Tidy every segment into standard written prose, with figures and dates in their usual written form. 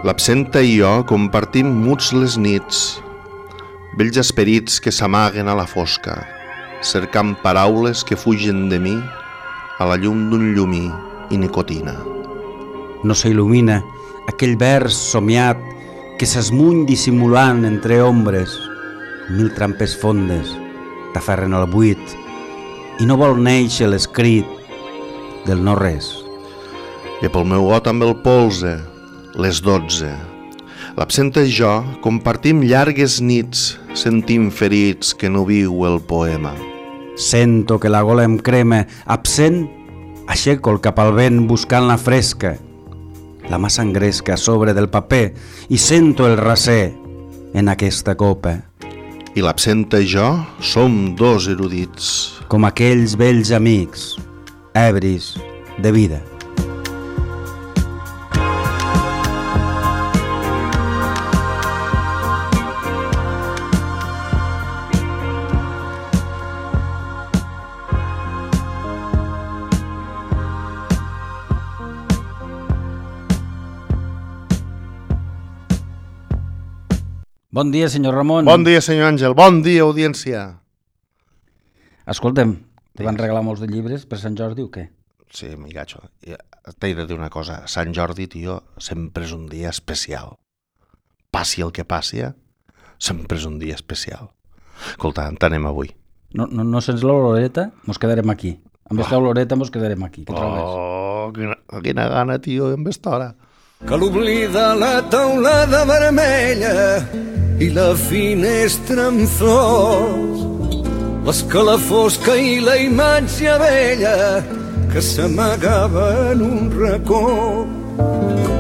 L'absenta i jo compartim muts les nits, vells esperits que s'amaguen a la fosca, cercant paraules que fugen de mi a la llum d'un llumí i nicotina. No s'il·lumina aquell vers somiat que s'esmuny dissimulant entre ombres. Mil trampes fondes t'aferren al buit i no vol néixer l'escrit del no res. I pel meu got amb el polze, les 12. L'absenta i jo compartim llargues nits sentint ferits que no viu el poema. Sento que la gola em crema, absent, aixeco el cap al vent buscant la fresca. La mà s'engresca a sobre del paper i sento el raser en aquesta copa. I l'absenta i jo som dos erudits. Com aquells vells amics, ebris de vida. Bon dia, senyor Ramon. Bon dia, senyor Àngel. Bon dia, audiència. Escolta'm, te van regalar molts de llibres per Sant Jordi o què? Sí, amigatxo. T'he de dir una cosa. Sant Jordi, tio, sempre és un dia especial. Passi el que passi, sempre és un dia especial. Escolta, t'anem avui. No sents l'oloreta? Mos quedarem aquí. Amb esta oloreta mos quedarem aquí. Què trobes? Oh, quina gana, tio, en aquesta hora. Que l'oblida la teulada vermella i la finestra amb flors, l'escalafosca i la imatge vella que s'amagava en un racó,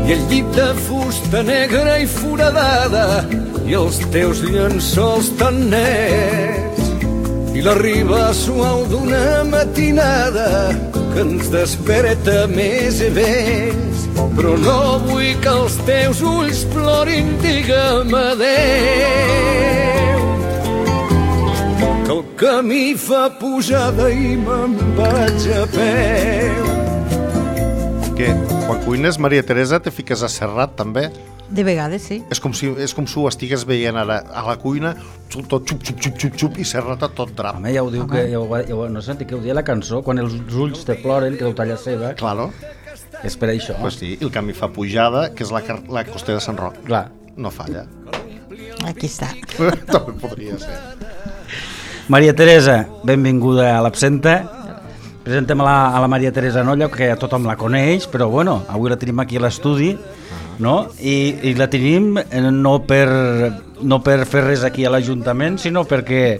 i el llit de fusta negra i foradada i els teus llençols tan nets, i la riba suau d'una matinada que ens desperta més vells. Però no vull que els teus ulls plorin, digue'm adéu, que el camí fa pujada i me'n vaig a peu. Què? Quan cuines, Maria Teresa, te fiques a Serrat, també? De vegades, sí. És com si ho estigués veient ara a la cuina, tot xup, xup, xup, xup, xup, i Serrat a tot drap. Home, ja ho diu, que no sé què ho dia la cançó, quan els ulls te ploren, que deu tallar seva. Claro. És per això. Pues sí, el camí fa pujada, que és la costa de Sant Roc. Clar. No falla. Aquí està. També podria ser. Maria Teresa, benvinguda a l'Absenta. Presentem a la Maria Teresa Nolla, que tothom la coneix, però bueno, avui la tenim aquí a l'estudi, no? I la tenim no per fer res aquí a l'Ajuntament, sinó perquè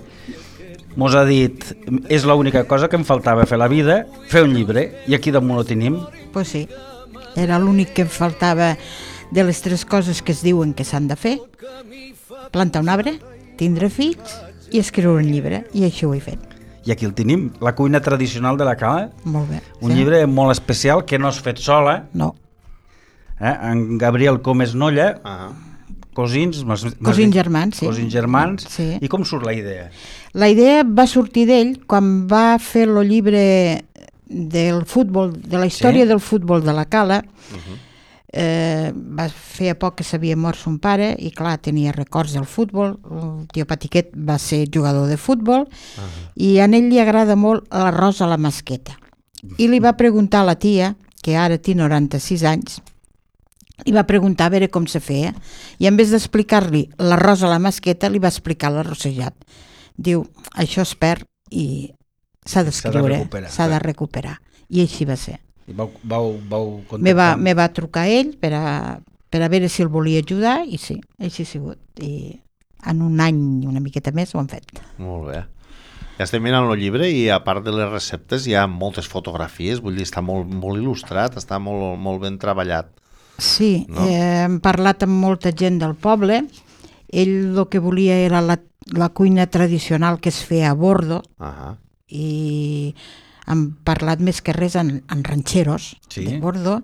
mos ha dit, és l'única cosa que em faltava fer a la vida, fer un llibre, i aquí damunt ho tenim. Pues sí, era l'únic que em faltava de les 3 coses que es diuen que s'han de fer: plantar un arbre, tindre fills i escriure un llibre, i això ho he fet. I aquí el tenim, la cuina tradicional de la Cala. Molt bé. Un llibre molt especial que no has fet sola. No. En Gabriel Comes Nolla, cosins germans, sí. Cosins germans, sí. I com surt la idea? La idea va sortir d'ell quan va fer el llibre del futbol, de la història del futbol de la Cala. Va fer a poc que s'havia mort son pare i clar, tenia records del futbol. El tio Patiquet va ser jugador de futbol i a ell li agrada molt l'arròs a la masqueta. I li va preguntar a la tia, que ara té 96 anys, li va preguntar a veure com se feia, i en vez d'explicar-li l'arròs a la masqueta li va explicar l'arrossejat. Diu, això es perd i s'ha d'escriure, s'ha de recuperar, i així va ser. I vau contactar? Me va trucar ell per a veure si el volia ajudar, i sí, així ha sigut, i en un any i una miqueta més ho han fet. Molt bé. Ja estem mirant el llibre i a part de les receptes hi ha moltes fotografies, vull dir, està molt, molt il·lustrat, està molt, molt ben treballat. Sí, no? Hem parlat amb molta gent del poble. Ell el que volia era la cuina tradicional que es feia a bordo, i hem parlat més que res en ranxeros de bordo,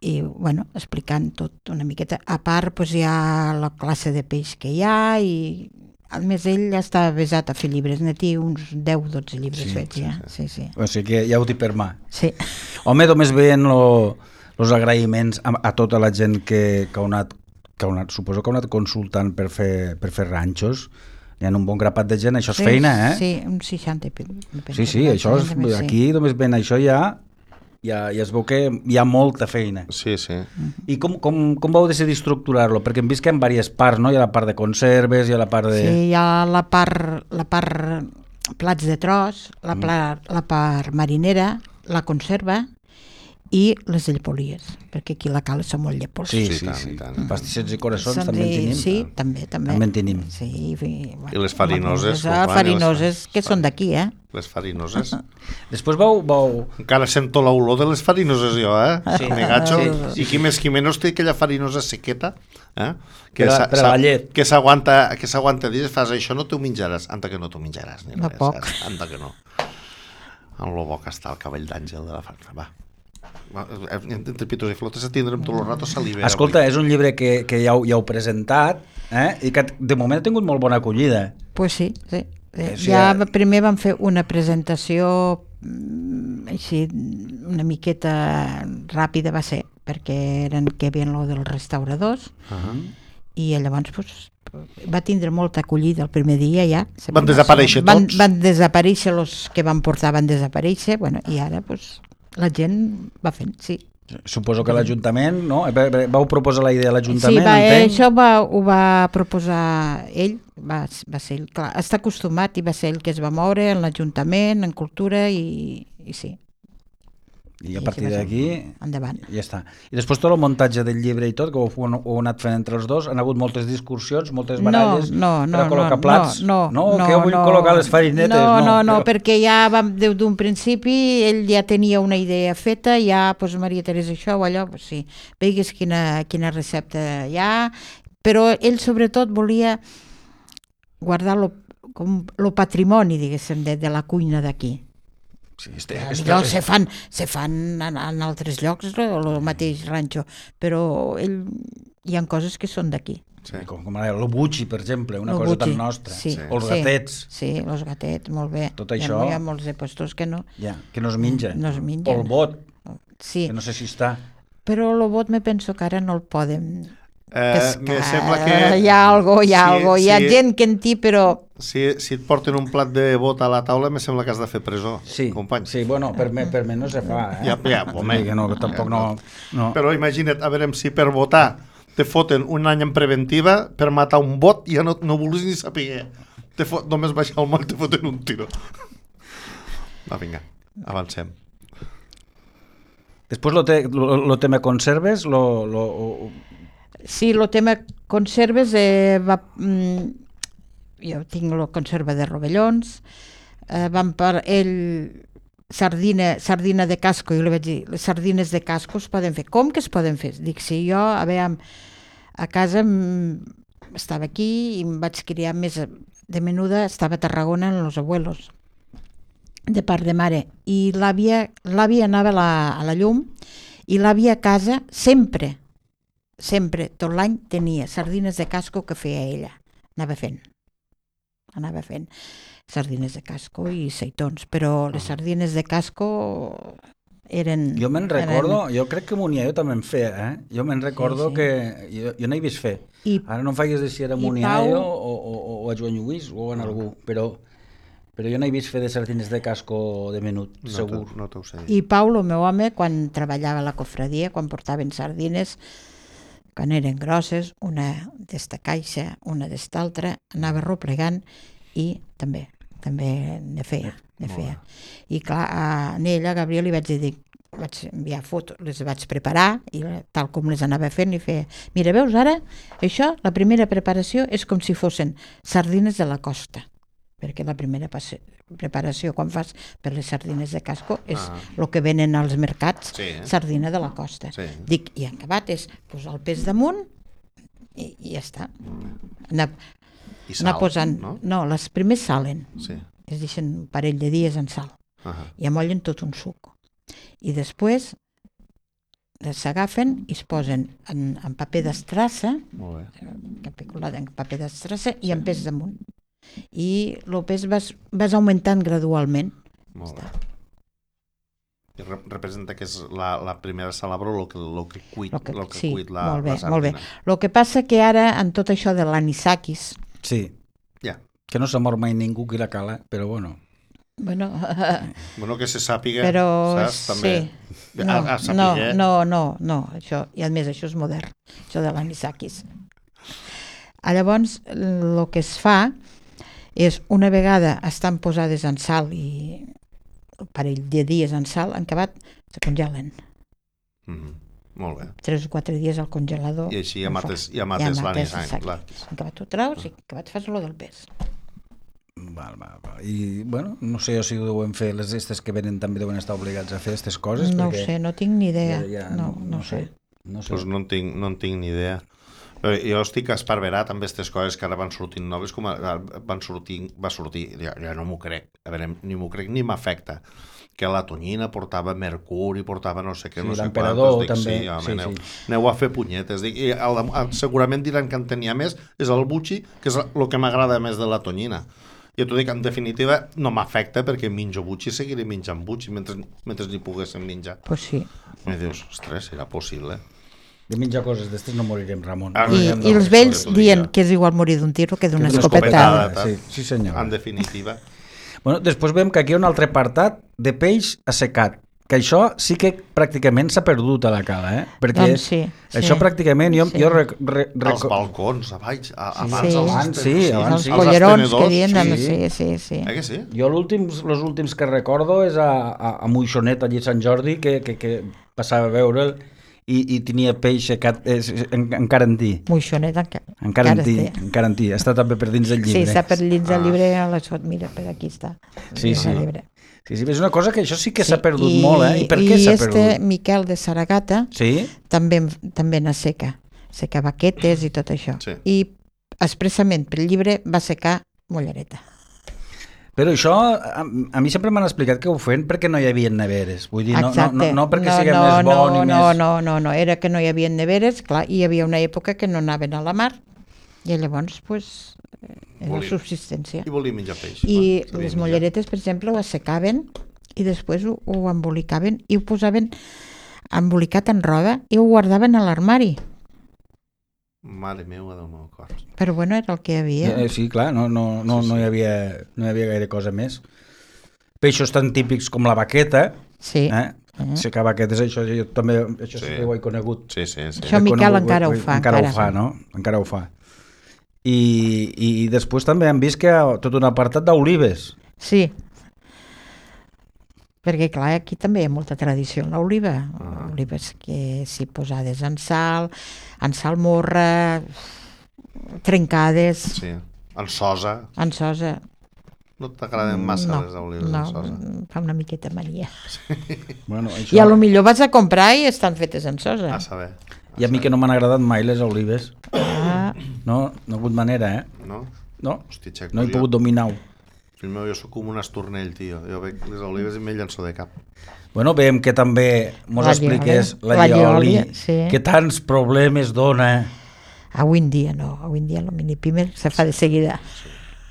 i bueno, explicant tot una miqueta. A part, doncs, hi ha la classe de peix que hi ha, i a més ell està avesat a fer llibres, n'hi té uns 10-12 llibres fets ja. Sí. O sigui que ja ho té per mà. Sí. Home, només veient els agraïments a tota la gent que ha anat, suposo que ha anat consultant per fer ranxos. Hi ha un bon grapat de gent, això és feina, eh? Sí, un 60. Sí, això és, aquí només ven això ja es veu que hi ha molta feina. Sí. I com vau decidir estructurar-lo? Perquè hem vist que hi ha diverses parts, no? Hi ha la part de conserves, hi ha la part de... Sí, hi ha la part plats de tros, la part marinera, la conserva i les llepolies, perquè aquí a la cala són molt llepols. Sí. Tant. Pastissets i coraçons també en tenim. Sí, també. També en tenim. Sí, I les farinoses. Farinoses, que són d'aquí, eh? Les farinoses. Després vau... Encara sento l'olor de les farinoses jo, eh? Sí. Me gacho. Sí. I qui més qui menys té aquella farinosa sequeta, eh? Per a la llet. Que s'aguanta dies, fas això, no t'ho menjaràs. Anta que no t'ho menjaràs. No poc. Anta que no. En lo bo que està el cabell d'àngel de la farina. Va. Entre pitos i flotes tindrem tot el rato salivera. Escolta, és un llibre que ja heu presentat, i que de moment ha tingut molt bona acollida. Pues sí. Ja primer vam fer una presentació així una miqueta ràpida va ser, perquè eren que havien lo dels restauradors i llavors va tindre molta acollida el primer dia ja. Van desaparèixer tots? Van desaparèixer els que van portar, van desaparèixer, i ara la gent va fent, sí. Suposo que l'Ajuntament, no? Vau proposar la idea a l'Ajuntament, entenc? Sí, això ho va proposar ell, va ser ell, clar, està acostumat i va ser ell que es va moure en l'Ajuntament, en Cultura i sí. I a partir d'aquí endavant. Ja està. I després tot el muntatge del llibre i tot, que ho anat fent entre els dos, han hagut moltes discussions, moltes baralles per a col·locar plats? No, que vull col·locar les farinetes? No, perquè ja des d'un principi ell ja tenia una idea feta, ja, Maria Teresa, això o allò, sí, veigues quina recepta hi ha, però ell sobretot volia guardar lo patrimoni, diguéssim, de la cuina d'aquí. Sí, se fan en altres llocs el mateix ranxo, però hi ha coses que són d'aquí. Sí. Com el buchi, per exemple, una cosa tan nostra. Sí. O els gatets. Sí, els gatets, molt bé. Tot això... Hi ha molts de puestos que no. Que no es menja. No es menja. O el bot, sí. Que no sé si està. Però el bot me penso que ara no el podem pescar. Me sembla que... Hi ha gent que en té, però... Si et porten un plat de bot a la taula, me sembla que has de fer presó, company. Sí, bueno, per mi no se fa, eh? Ja, home. Que no, tampoc no. Però imagina't, a veure, si per votar te foten un any en preventiva, per matar un bot ja no vulguis ni saber. Només baixar el moll te foten un tiro. Va, vinga, avancem. Després lo tema conserves, Sí, el tema conserves jo tinc la conserva de rovellons, van per ell sardina de casco, jo li vaig dir, les sardines de casco es poden fer. Com que es poden fer? Dic, si jo, a casa estava aquí i em vaig criar més de menuda, estava a Tarragona en los abuelos, de part de mare, i l'àvia anava a la llum, i l'àvia a casa sempre, tot l'any tenia sardines de casco que feia ella, anava fent sardines de casco i seitons, però les sardines de casco eren... Jo me'n recordo, jo crec que Muniaio també en feia, eh? Jo me'n recordo que jo no he vist fer. Ara no em faigues de si era Muniaio o a Joan Lluís o en algú, però jo no he vist fer de sardines de casco de menut, segur. No t'ho sé. I Pau, el meu home, quan treballava a la cofradia, quan portaven sardines, quan eren grosses, una d'esta caixa, una d'esta altra, anava replegant i també ne feia. I clar, a ella, a Gabriel, li vaig dir, vaig enviar fotos, les vaig preparar i tal com les anava fent, li feia, mira, veus ara, això, la primera preparació és com si fossin sardines de la costa, perquè la primera preparació quan fas per les sardines de casco és el que venen als mercats, sardina de la costa. Dic, i en acabat és posar el pes damunt i ja està. Anar posant... No, les primers salen. Es deixen un parell de dies en sal. I amollen tot un suc. I després s'agafen i es posen en paper d'estrassa, en paper d'estrassa i en pes damunt. I el pes vas augmentant gradualment. representa que és la primera salabra el que cuit Sí, la molt bé, sardina. molt bé. El que passa que ara, en tot això de l'anisakis, Sí, Ja. que no s'ha mort mai ningú qui la cala, però bueno. bueno, Bueno, que se sàpiga, però saps? També. sí, A saber, no, això, i a més això és modern, això de l'anisakis. Llavors, el que es fa és, una vegada estan posades en sal i un parell de dies en sal, en acabat se congelen. Molt bé. 3 o 4 dies al congelador. I així en mates exacte. l'anisakis. En acabat ho traus i en acabat fas lo del pes. Val. I, bueno, no sé si ho deuen fer, les estes que venen també deuen estar obligats a fer aquestes coses. No ho perquè sé, no tinc ni idea. no sé. Pues no en tinc ni idea. Però jo estic esparverat amb aquestes coses que ara van sortint noves, com va sortir, ja no m'ho crec, a veure, ni m'ho crec ni m'afecta, que la tonyina portava mercuri, portava no sé què, Sí, no sé l'emperador quantos, també, sí, home, sí. Aneu a fer punyetes, dic, i segurament diran que en tenia més, és el butxi, que és el que m'agrada més de la tonyina. Jo t'ho dic, en definitiva, no m'afecta perquè menjo butxi, seguiré menjant butxi mentre n'hi poguéssim menjar. Pues sí. I dius, ostres, serà possible. De menjar coses d'estes no morirem, Ramon. I els vells dient que és igual morir d'un tiro que d'una escopetada. Sí, senyor. En definitiva. Bueno, després veiem que aquí hi ha un altre apartat de peix assecat, que això sí que pràcticament s'ha perdut a la cala, perquè Doncs sí. això pràcticament jo Els balcons, abans Els sí. collerons que dient, sí. Que sí? Jo els últims que recordo és a Moixonet, allí a Sant Jordi, que passava a veure'l i tenia peix secat encara en ti. Moixonet encara en ti. Està també per dins del llibre. Sí, està per dins del llibre, mira, per aquí està. Sí. És una cosa que això sí que s'ha perdut molt, I per què s'ha perdut? I Miquel de Saragata també n'asseca, seca baquetes i tot això. Sí. I expressament pel llibre va secar mollereta. Però això, a mi sempre m'han explicat que ho feien perquè no hi havia neveres. Vull dir, no perquè sigui més bon i més... No, era que no hi havia neveres, clar, i hi havia una època que no anaven a la mar, i llavors, pues, era subsistència. I volia menjar peix. I les molleretes, per exemple, ho assecaven i després ho embolicaven i ho posaven embolicat en roba i ho guardaven a l'armari. Mare meva del meu cor. Però bueno, era el que hi havia. Sí, clar, no hi havia gaire cosa més. Peixos tan típics com la baqueta, secar baquetes, això jo també sí que ho he conegut. Sí. Això Miquel encara ho fa. Encara ho fa, no? Encara ho fa. I després també hem vist que hi ha tot un apartat d'olives. Sí. Perquè, clar, aquí també hi ha molta tradició en l'oliva. Olives que s'hi posades en salmorra, trencades... Sí, en sosa. En sosa. No t'agraden massa les olives en sosa? No, fa una miqueta mania. Bueno, això... I a lo millor vas a comprar i estan fetes en sosa. A saber. I a mi que no m'han agradat mai les olives. No ha hagut manera, No? No, Hosti, Xeco, no he pogut dominar-ho. Fill meu, jo soc com un estornell, tio. Jo veig les olives i me llenço de cap. Bueno, veiem que també mos expliques la llioli, que tants problemes dona. Avui en dia no, avui en dia el mini-pimer se fa de seguida.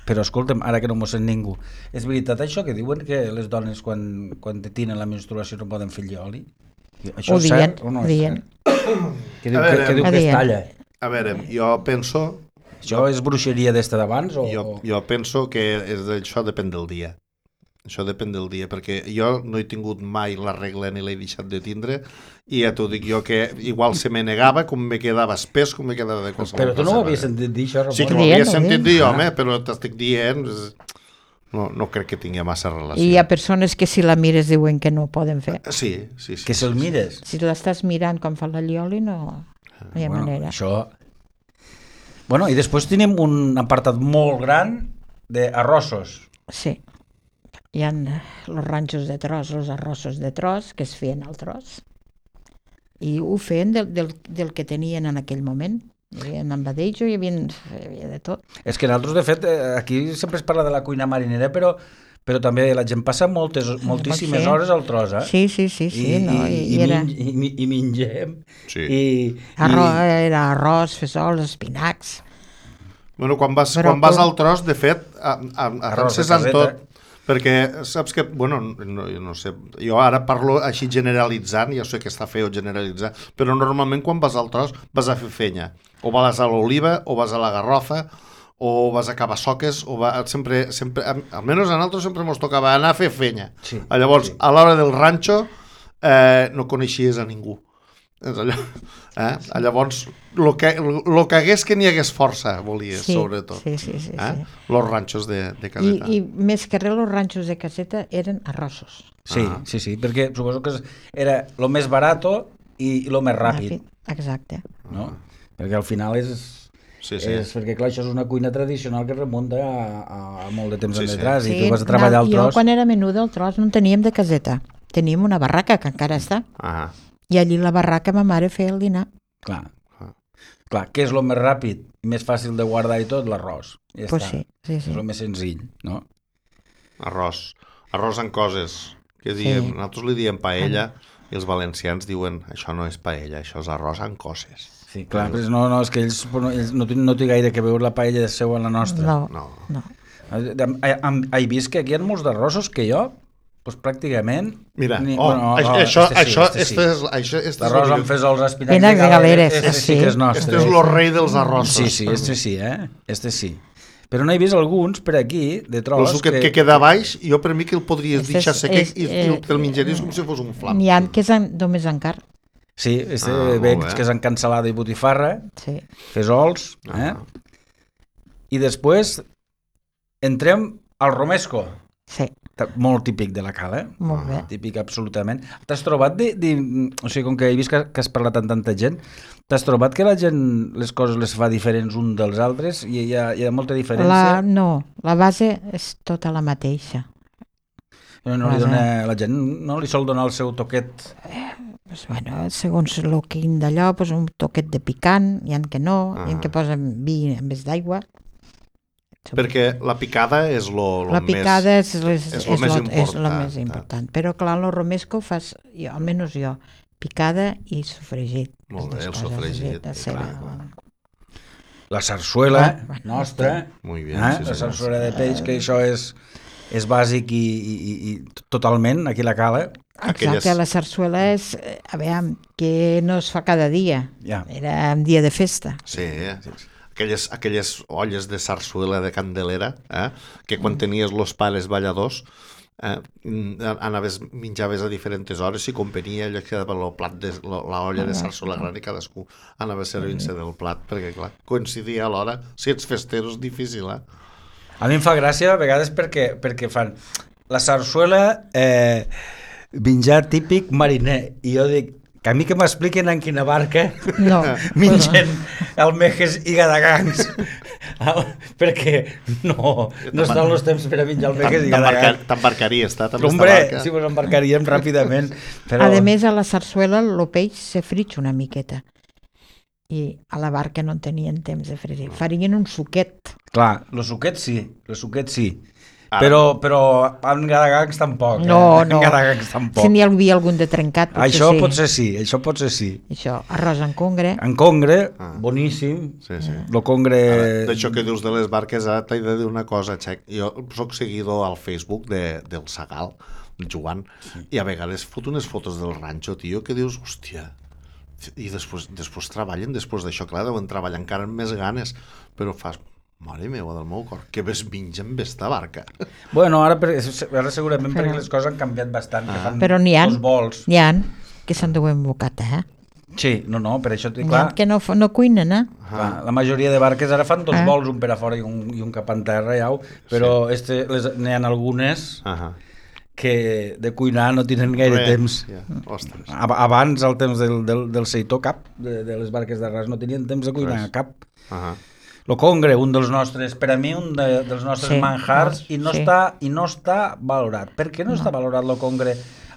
Però escolta'm, ara que no m'ho sent ningú, és veritat això que diuen que les dones quan tenen la menstruació no poden fer llioli? Això és cert o no és cert? Que diu que es talla. A veure, jo penso... Això és bruixeria d'esta d'abans? Jo penso que això depèn del dia. Això depèn del dia, perquè jo no he tingut mai la regla ni l'he deixat de tindre i ja t'ho dic jo que igual se me negava com me quedava espès, com me quedava de qualsevol. Però tu no ho havies sentit dir, això, Ramon? Sí que ho havia sentit dir, home, però t'estic dient... No crec que tingui massa relació. I hi ha persones que si la mires diuen que no ho poden fer. Sí. Que se'l mires? Si l'estàs mirant com fa la llioli no hi ha manera. Això... Bueno, i després tenim un apartat molt gran d'arrossos. Sí. Hi ha els ranxos de tros, els arrossos de tros, que es feien al tros. I ho feien del que tenien en aquell moment. Hi havia envadejo, hi havia de tot. És que nosaltres, de fet, aquí sempre es parla de la cuina marinera, però també la gent passa moltíssimes hores al tros, Sí. I mengem. Sí. Era arròs, fesols, espinacs. Bueno, quan vas al tros, de fet, penses en tot. Perquè saps que, bueno, no sé, jo ara parlo així generalitzant, ja sé que està feo generalitzar, però normalment quan vas al tros vas a fer fenya, o vas a l'oliva, o vas a la garrofa, o vas a Cabassoques, o sempre, almenys a nosaltres sempre ens tocava anar a fer fenya. Sí, Llavors, a l'hora del ranxo, no coneixies a ningú. Llavors, el que hagués que n'hi hagués força, volies, sobretot. Sí. Los ranxos de caseta. I més que res, els ranxos de caseta eren arrossos. Sí, perquè suposo que era lo més barato i lo més ràpid. Exacte. No? Perquè al final és perquè clar, això és una cuina tradicional que remunta a molt de temps enrere i tu vas a treballar al tros. Jo quan era menuda al tros no en teníem de caseta, teníem una barraca que encara està i allí a la barraca ma mare feia el dinar. Clar, què és el més ràpid i més fàcil de guardar i tot? L'arròs. Pues sí. És el més senzill, no? Arròs amb coses que nosaltres li diem paella i els valencians diuen això no és paella, això és arròs amb coses. Sí, clar, però no, és que ells no té gaire que veure la paella de seu a la nostra. No. He vist que aquí hi ha molts d'arrossos que jo, doncs pràcticament... Mira, això és... L'arròs amb fesols, espinacs i galeres. Sí que és nostre. Este és el rei dels arrossos. Sí, este sí. Però no he vist alguns per aquí, de tros... El suquet que queda baix, jo per mi que el podries deixar sec i te'l menjaries com si fos un flam. N'hi ha que és només encara. Sí, veig que és en cansalada i botifarra, fesols, i després entrem al romesco. Sí. Molt típic de la cala, Molt bé. Típic absolutament. T'has trobat, o sigui, com que he vist que has parlat amb tanta gent, t'has trobat que la gent les coses les fa diferents un dels altres i hi ha molta diferència? No, la base és tota la mateixa. La gent no li sol donar el seu toquet? Segons el quin d'allò, un toquet de picant, hi ha que no, hi ha que posen vi en vez d'aigua. Perquè la picada és el més important. Però clar, el romesco fas, almenys jo, picada i sofregit. Molt bé, el sofregit. La sarsuela nostra, la sarsuela de peix, que això és bàsic i totalment aquí la cala. Exacte, la sarsuela és, a veure, que no es fa cada dia, era un dia de festa. Sí, aquelles olles de sarsuela de Candelera, que quan tenies los pares balladors menjaves a diferents hores i com venia allò quedava l'olla de sarsuela gran i cadascú anava servint-se del plat perquè clar, coincidia a l'hora, si ets festero és difícil. A mi em fa gràcia a vegades perquè fan la sarsuela menjar típic mariner i jo dic que a mi que m'expliquen en quina barca mengen almejes i gadagangs perquè no estan els temps per a menjar almejes i gadagangs. T'embarcaries, Hombre, sí, ens embarcaríem ràpidament. A més, a la sarsuela el peix se fritx una miqueta i a la barca no en tenien temps de fregir. Farien un suquet. Clar, el suquet sí. Però en gadagangs tampoc. No. En gadagangs tampoc. Si n'hi havia algun de trencat, això potser sí. Això, arròs en congre. En congre, boníssim. Sí. Lo congre... D'això que dius de les barques, ara t'he de dir una cosa, Xec. Jo soc seguidor al Facebook del Sagal, el Joan, i a vegades fot unes fotos del ranxo, tio, que dius, hòstia... I després treballen, després d'això, clar, deuen treballar encara amb més ganes, però fas... Mare meva del meu cor, que ves mengen esta barca. Bueno, ara segurament perquè les coses han canviat bastant, que fan però dos vols. N'hi ha que s'enduen bocata, Sí, no, per això... N'hi ha que no cuinen, La majoria de barques ara fan dos vols, un per a fora i un cap en terra, però n'hi ha algunes que de cuinar no tenen gaire temps. Abans, al temps del seitó cap, de les barques d'arràs, no tenien temps de cuinar cap. El congre, un dels nostres, per a mi, un dels nostres manjars, i no està valorat. Per què no està valorat el congre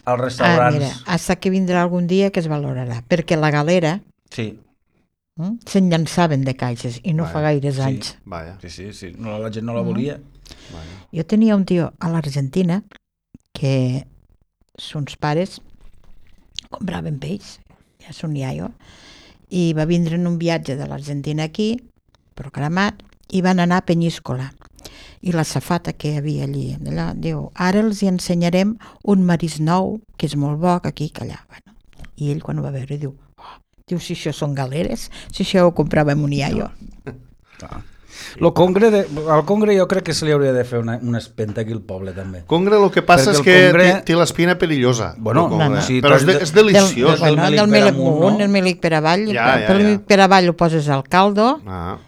als restaurants? Mira, hasta que vindrà algun dia que es valorarà, perquè la galera se'n llançaven de caixes i no fa gaires anys. Sí, la gent no la volia. Jo tenia un tio a l'Argentina que sons pares compraven peix, ja son iaio, i va vindre en un viatge de l'Argentina aquí, programat, i van anar a Penyíscola. I la safata que hi havia allí, allà, diu, ara els hi ensenyarem un marís nou, que és molt bo, que aquí, que allà. Bueno, i ell quan ho va veure diu, si això són galeres, si això ho comprava en un iaio. Al Congre jo crec que se li hauria de fer una espenta aquí al poble també. Congre el que passa és que té l'espina perillosa. Bueno, sí, però és deliciós. Del Melic Munt, el Melic per avall, el Melic per avall ho poses al caldo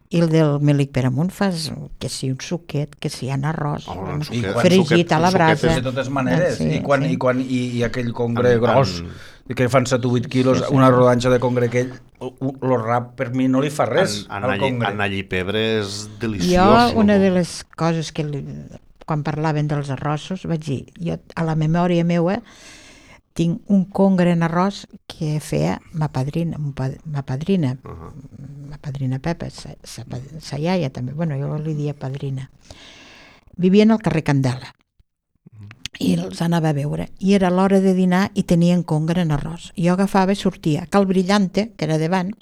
i el del Melic per amunt fas que si un suquet, que si hi ha arròs, fregit a la brasa. De totes maneres, i aquell Congre gros que fan 7 o 8 quilos, una rodanxa de Congre aquell, el rap per mi no li fa res al Congre. En allí pebre és deliciós. Jo, una de les coses que quan parlaven dels arrossos vaig dir, jo a la memòria meua tinc un Congre en arròs que feia ma padrina Pepa, sa iaia també, bueno, jo li dia padrina. Vivien al carrer Candela i els anava a veure i era l'hora de dinar i tenien Congre en arròs. Jo agafava i sortia a Cal Brillante, que era davant,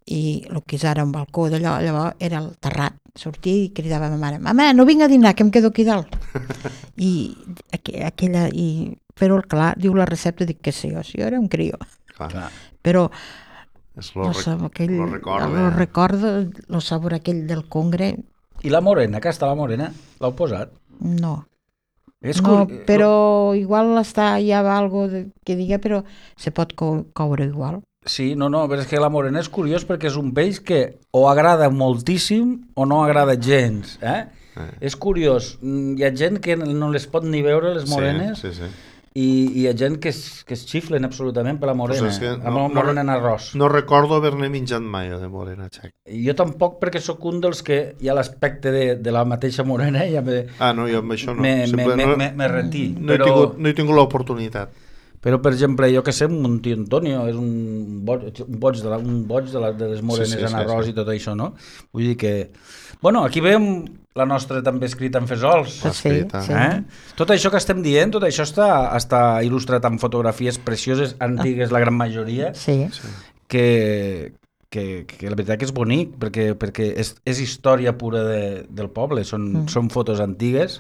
i el que és ara un balcó d'allò, llavors era el terrat. Sortia i cridava a ma mare, mama, no vinc a dinar, que em quedo aquí dalt. Però clar, diu la recepta, dic que sé jo, si jo era un crió. Però lo recordo, el sabor aquell del Congre. I la morena, que està la morena, l'heu posat? No, però igual hi ha algo que diga, però se pot coure igual. Sí, però és que la morena és curiós perquè és un peix que o agrada moltíssim o no agrada gens, És curiós, hi ha gent que no les pot ni veure les morenes, i hi ha gent que es xiflen absolutament per la morena, amb la morena en arròs. No recordo haver-ne menjat mai de morena, Xac. Jo tampoc, perquè sóc un dels que hi ha l'aspecte de la mateixa morena i jo amb això no. Me retí. No he tingut l'oportunitat. Però, per exemple, jo que sé, un tio Antonio és un boig de les morenes en arròs i tot això, no? Vull dir que... Bueno, aquí veiem la nostra també escrita en fesols. Sí. Tot això que estem dient, tot això està il·lustrat amb fotografies precioses, antigues, la gran majoria, que la veritat que és bonic, perquè és història pura del poble, són fotos antigues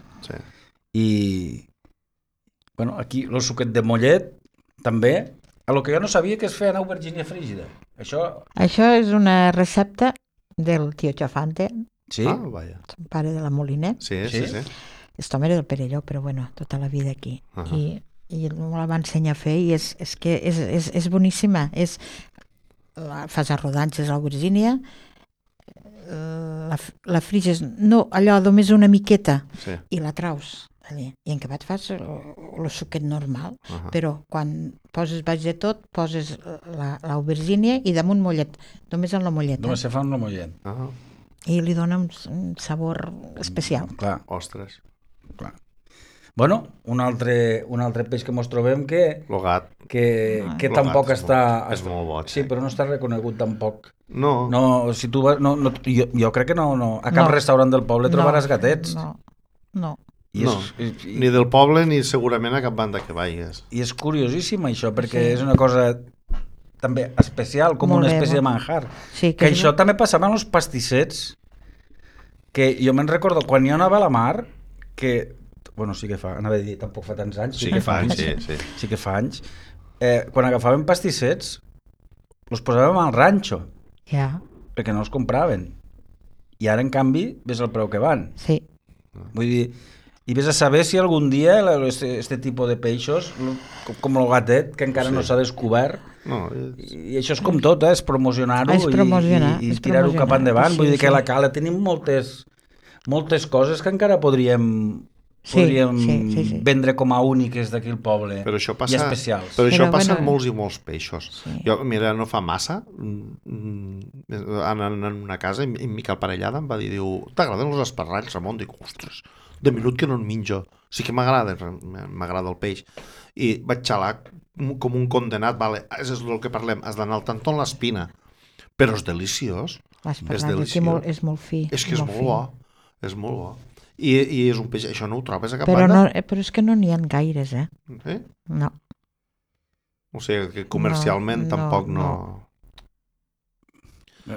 i... Bueno, aquí el suquet de mollet, també. El que jo no sabia que es feia en aubergínia frígida. Això és una recepta del tio Chafante, son pare de la Moliner. Sí. Aquest home era del Perelló, però bueno, tota la vida aquí. I me la va ensenyar a fer i és boníssima. Fas a rodanxes a l'aubergínia, la friges, no allò només una miqueta, i la traus. I en acabat fas el suquet normal, però quan poses baix de tot, poses l'aubergínia i damunt mollet, només en la molleta. Només se fa en la mollet. I li dona un sabor especial. Clar. Ostres. Clar. Bueno, un altre peix que mos trobem que... Lo gat. Que tampoc està... És molt bo. Sí, però no està reconegut tampoc. No. No, si tu vas... Jo crec que no. A cap restaurant del poble trobaràs gatets. No. Ni del poble ni segurament a cap banda que vagis. I és curiosíssim això, perquè és una cosa també especial, com una espècie de manjar. Que això també passava en els pastissets, que jo me'n recordo quan jo anava a la mar, que, bueno, sí que fa, anava a dir, tampoc fa tants anys, sí que fa anys, quan agafàvem pastissets, els posàvem al ranxo, perquè no els compraven. I ara, en canvi, ves el preu que van. Sí. Vull dir, i vés a saber si algun dia este tipus de peixos, com el gatet, que encara no s'ha descobert, i això és com tot, és promocionar-ho i tirar-ho cap endavant. Vull dir que a la Cala tenim moltes coses que encara podríem vendre com a úniques d'aquí al poble i especials. Però això passa en molts i molts peixos. Jo, mira, no fa massa, anant en una casa, i Miquel Parellada em va dir, t'agraden els esparralls, Ramon? Dic, ostres, de minut que no en menjo. Sí que m'agrada el peix. I vaig xalar com un condenat, és el que parlem, has d'anar al tantó en l'espina. Però és deliciós. L'esparrall és molt fi. És que és molt bo. És molt bo. I és un peix, això no ho trobes a cap banda? Però és que no n'hi ha gaires, No. O sigui, que comercialment tampoc no...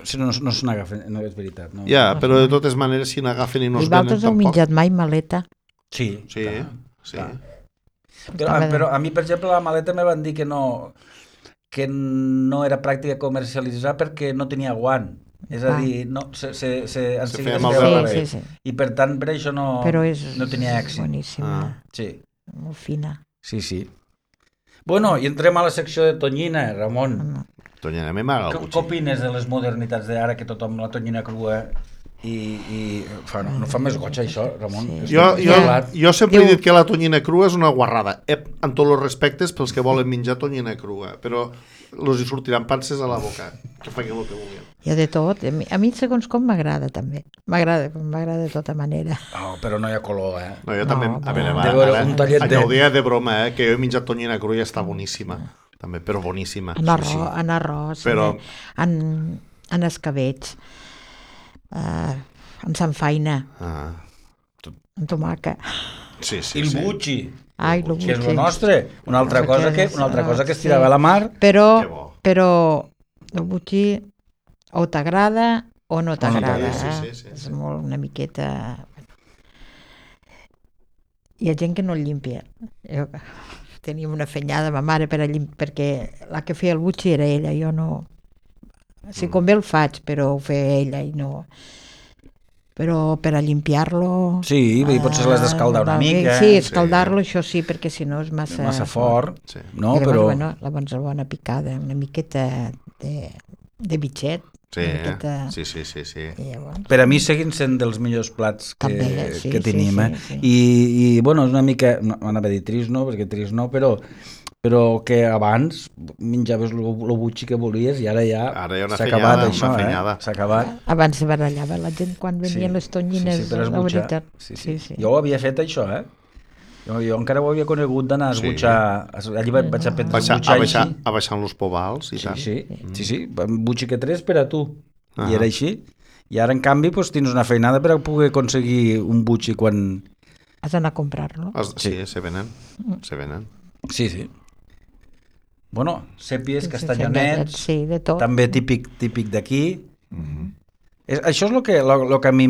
Si no se n'agafen, no és veritat. No. Ja, però de totes maneres, si n'agafen i no I es venen vosaltres heu tampoc... menjat mai maleta? Sí, Sí, clar, sí. clar. Però a mi, per exemple, la maleta me van dir que no era pràctica comercialitzar perquè no tenia guant. És a dir, no, en seguida feia es mal feia de malbé. rebé. Sí. I per tant, per això no tenia èxit. Boníssima, Sí, molt fina. sí. Bueno, i entrem a la secció de tonyina, Ramon. Tonyina, a mi m'agrada el Què butxí. opines de les modernitats d'ara que tothom la tonyina crua i no fa més goig això, Ramon? Sí. Jo sempre he dit que la tonyina crua és una guarrada, en tots els respectes pels que volen menjar tonyina crua, però els hi sortiran panses a la boca, que facin el que vulguin. Hi ha de tot. A mi, segons com, m'agrada també. M'agrada de tota manera. Oh, però no hi ha color, No, jo també, a veure, de veure un tallet allò ho deia de broma, que jo he menjat tonyina crua i està boníssima, també, però boníssima. En arròs, Però... en escabetx, en sanfaina, en tomaca. Sí. I el butxi, Ai, el que és butxi. el nostre. Una altra cosa que es tirava a la mar. Però el butxi o t'agrada o no t'agrada. Sí. És molt una miqueta... Hi ha gent que no el llimpia. Teníem una fenyada, ma mare, perquè la que feia el butxi era ella, jo no... Si convé el faig, però ho feia ella i no... Però per a limpiar-lo... Sí, potser l'has d'escaldar una mica. Sí, escaldar-lo, això sí, perquè si no és massa fort. Sí. No, I però... llavors, la bona picada, una miqueta de bitxet. Sí, una miqueta... sí. I llavors... Per a mi seguin sent dels millors plats que tenim. Sí. I bueno, és una mica... No, anava a dir trist, no? Perquè trist no, però que abans menjaves el butxi que volies i ara ja s'ha acabat això, s'ha acabat. Abans se barallava la gent quan venien les tonyines, per la veritat. Sí. Jo ho havia fet això, Jo encara ho havia conegut d'anar a esbutxar, allí vaig aprendre a esbutxar així. A baixar los pobals i tant. Sí, un butxi que tres per a tu, i era així. I ara, en canvi, tens una feinada per a poder aconseguir un butxi quan... Has d'anar a comprar-lo. Sí, se venen. Sí. Bueno, sèpies, castanyonets, de tot. també típic d'aquí. Això és el que a mi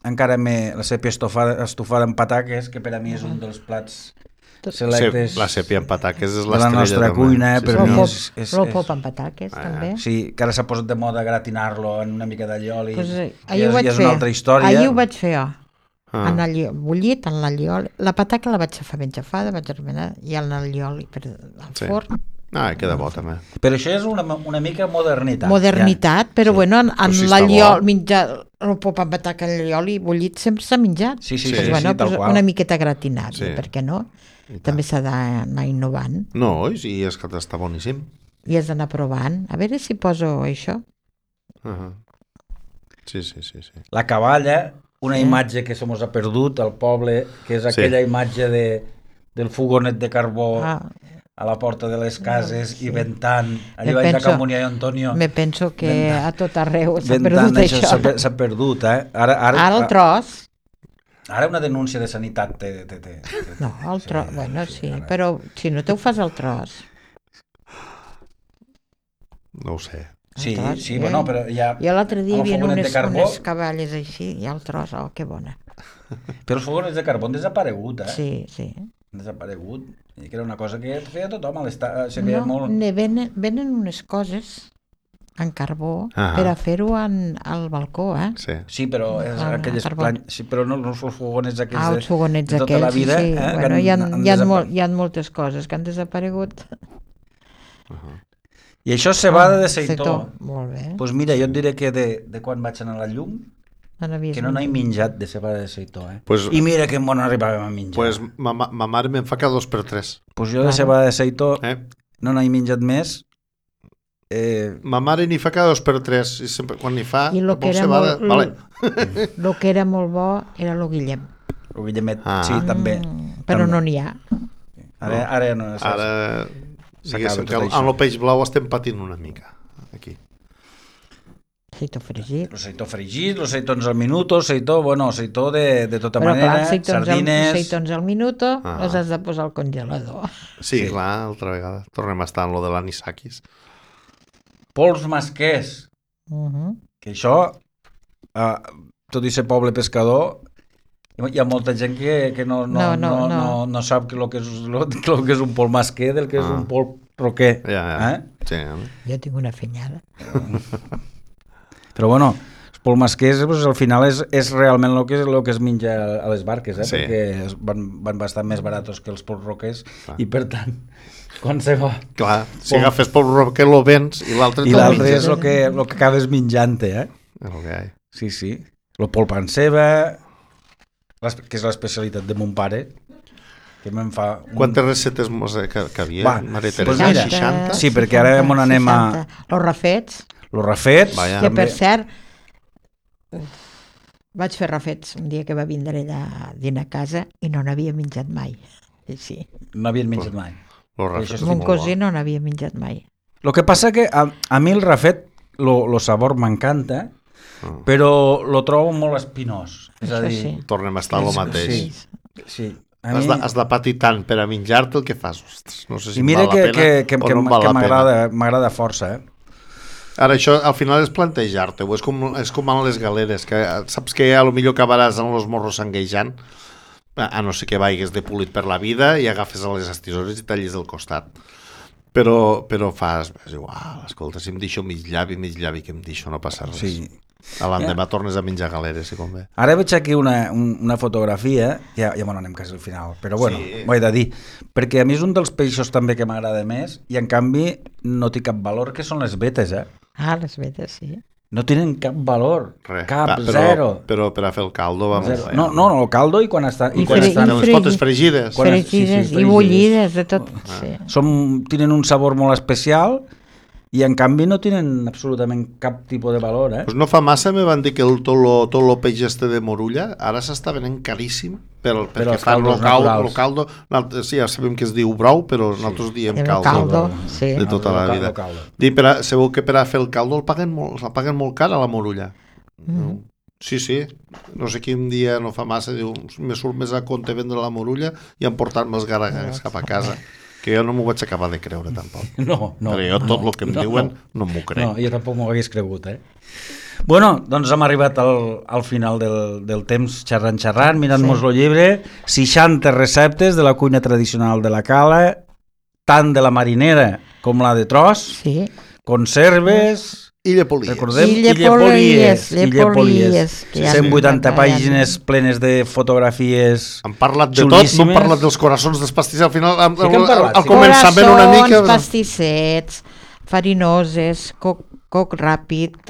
encara la sèpia estofada amb pataques, que per a mi és un dels plats selectes la sèpia amb pataques és de la nostra cuina. El pop amb pataques, també. Sí, que ara s'ha posat de moda gratinar-lo en una mica d'allioli. I és una altra història. Ahir ho vaig fer jo. Bullit en l'allioli. La pataca la vaig fer ben xafada, vaig remenar, i en l'allioli al forn. Queda bo també. Però això és una mica modernitat. Modernitat, però bueno, en l'allioli, menjar el pop amb pataca en l'allioli bullit sempre s'ha menjat. Sí, tal qual. Una miqueta gratinat, per què no? També s'ha d'anar innovant. No, i és que està boníssim. I has d'anar provant. A veure si poso això. Sí. La caballa, una imatge que se mos ha perdut al poble, que és aquella imatge del fogonet de carbó a la porta de les cases i ventant, allà vaig a Can Munià i Antonio. Me penso que a tot arreu s'ha perdut això. S'ha perdut, Ara el tros. Ara una denúncia de sanitat No, el tros, bueno, sí, però si no te ho fas al tros. No ho sé. Sí, bueno, però ja... Jo l'altre dia hi havia unes caballes així, i el tros, que bona. Però els fogonets de carbó han desaparegut, Sí. Han desaparegut, i que era una cosa que feia tothom a l'estat. Venen unes coses en carbó per a fer-ho al balcó, Sí, però aquelles però no els fogonets aquells els fogonets de tota la vida. Sí. Bueno, hi ha moltes coses que han desaparegut. I això és cebada de seitó. Molt bé. Doncs mira, jo et diré que de quan vaig anar a la llum, que no n'he menjat de cebada de seitó. I mira que bon arribàvem a menjar. Pues ma mare me'n fa cada 2 per 3. Pues jo de cebada de seitó no n'he menjat més. Ma mare n'hi fa cada 2 per 3 i sempre quan n'hi fa cebada... El que era molt bo era el Guillem. El Guillemet, sí, també. Però no n'hi ha. Ara no és. Ara... Diguéssim que amb el peix blau estem patint una mica aquí. Seitó fregit. El seitó fregit, els seitons al minuto, seitó de tota manera, sardines... Seitons al minuto els has de posar al congelador. Sí, clar, altra vegada. Tornem a estar en lo de l'anisakis. Pols masquers. Que això, tot i ser poble pescador, hi ha molta gent que no sap el que és un pol masquer del que és un pol roquer. Sí. Jo tinc una fenyada. Però bueno, els pol masquers al final és realment el que es menja a les barques, perquè van bastant més baratos que els pols roquers i per tant, quan se va... Clar, si agafes pol roquer lo vens i l'altre és el que acabes menjant-te, Sí. El pol panceba, que és l'especialitat de mon pare, que me'n fa... Quantes receptes que havia, Maria Teresa? 60? Sí, perquè ara on anem a... Los rafets. Los rafets. Que per cert, vaig fer rafets un dia que va vindre ella a dinar a casa i no n'havia menjat mai. Sí. No havien menjat mai. Mon cosí no n'havia menjat mai. El que passa que a mi el rafet, el sabor m'encanta, però lo trobo molt espinós. És a dir, tornem a estar el mateix. Sí. Has de patir tant per a menjar-te el que fas. Ostres, no sé si val la pena o no val la pena. M'agrada força, Ara, això al final és plantejar-te-ho, és com amb les galeres, que saps que a lo millor acabaràs amb els morros sanguejant, a no ser que vagis de polit per la vida i agafes a les estisores i tallis del costat. Però fas, igual, escolta, si em deixo mig llavi, que em deixo, no passa res. Sí. A l'endemà tornes a menjar galeres, si convé. Ara veig aquí una fotografia, ja anem quasi al final, però bueno, ho he de dir, perquè a mi és un dels peixos també que m'agrada més i en canvi no té cap valor, que són les vetes, les vetes, sí. No tenen cap valor, zero. Però per a fer el caldo, vamos. No, el caldo i quan estan... I quan estan les potes fregides. Fregides i bullides, de tot. Tenen un sabor molt especial i en canvi no tenen absolutament cap tipus de valor. Pues no fa massa me van dir que tot el peix este de Morulla ara s'està venent caríssim perquè fan el caldo. Sí, ja sabem que es diu brou, però nosaltres diem caldo de tota la vida. Segur que per a fer el caldo el paguen molt car a la Morulla. Sí, no sé quin dia no fa massa diu, me surt més a compte vendre la Morulla i emportar-me els garagangs cap a casa. Que jo no m'ho vaig acabar de creure tampoc. No. Però jo tot el que em diuen no m'ho crec. No, jo tampoc m'ho hagués cregut, Bueno, doncs hem arribat al final del temps xerrant, mirant-nos el llibre, 60 receptes de la cuina tradicional de la Cala, tant de la marinera com la de tros, conserves... Illa Polies. Recordem, Illa Polies. 180 pàgines plenes de fotografies. Han parlat de tot, no han parlat dels coraçons dels pastissets. Al final, al començament una mica... Coraçons, pastissets, farinoses, coc ràpid,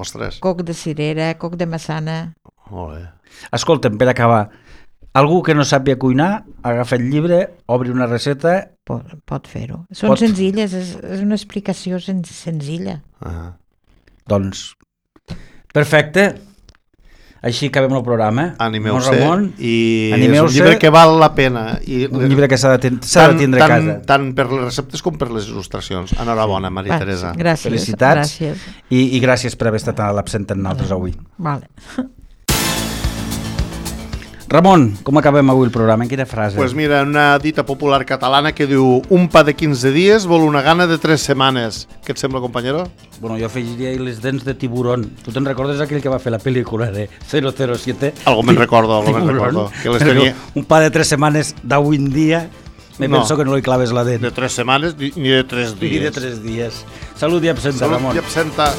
coc de cirera, coc de massana. Molt bé. Escolta'm, per acabar, algú que no sàpia cuinar, agafa el llibre, obri una recepta... Pot fer-ho. Són senzilles, és una explicació senzilla. Doncs, perfecte. Així acabem el programa. Animeu-se. I és un llibre que val la pena. Un llibre que s'ha de tindre a casa. Tant per les receptes com per les il·lustracions. Enhorabona, Maria Teresa. Gràcies. Felicitats. I gràcies per haver estat a l'absent amb nosaltres avui. Vale. Ramon, com acabem avui el programa? En quina frase? Pues mira, una dita popular catalana que diu un pa de 15 dies vol una gana de 3 setmanes. Què et sembla, companyero? Bueno, jo afegiria les dents de tiburón. Tu te'n recordes aquell que va fer la pel·lícula de 007? Algo me'n recordo. Que les tenia... Un pa de 3 setmanes d'avui en dia, penso que no li claves la dent. De 3 setmanes ni de 3 dies. Ni de 3 dies. Salut i absenta, Ramon. Salut i absenta.